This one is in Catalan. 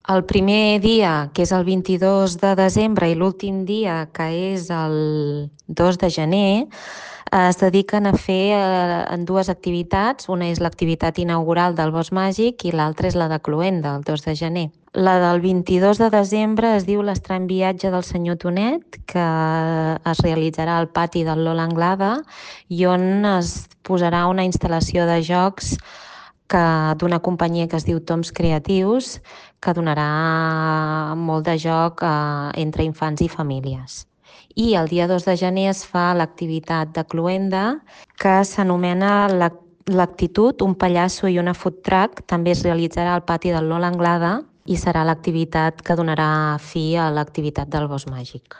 El primer dia, que és el 22 de desembre, i l'últim dia, que és el 2 de gener, es dediquen a fer en dues activitats. Una és l'activitat inaugural del Bosc Màgic i l'altra és la de Cloenda, el 2 de gener. La del 22 de desembre es diu l'Estrany viatge del senyor Tonet, que es realitzarà al pati del Lola Anglada i on es posarà una instal·lació de jocs d'una companyia que es diu Toms Creatius, que donarà molt de joc entre infants i famílies. I el dia 2 de gener es fa l'activitat de Cloenda, que s'anomena l'Actitud, un pallasso i una food truck. També es realitzarà al pati del Lola Anglada i serà l'activitat que donarà fi a l'activitat del Bosc Màgic.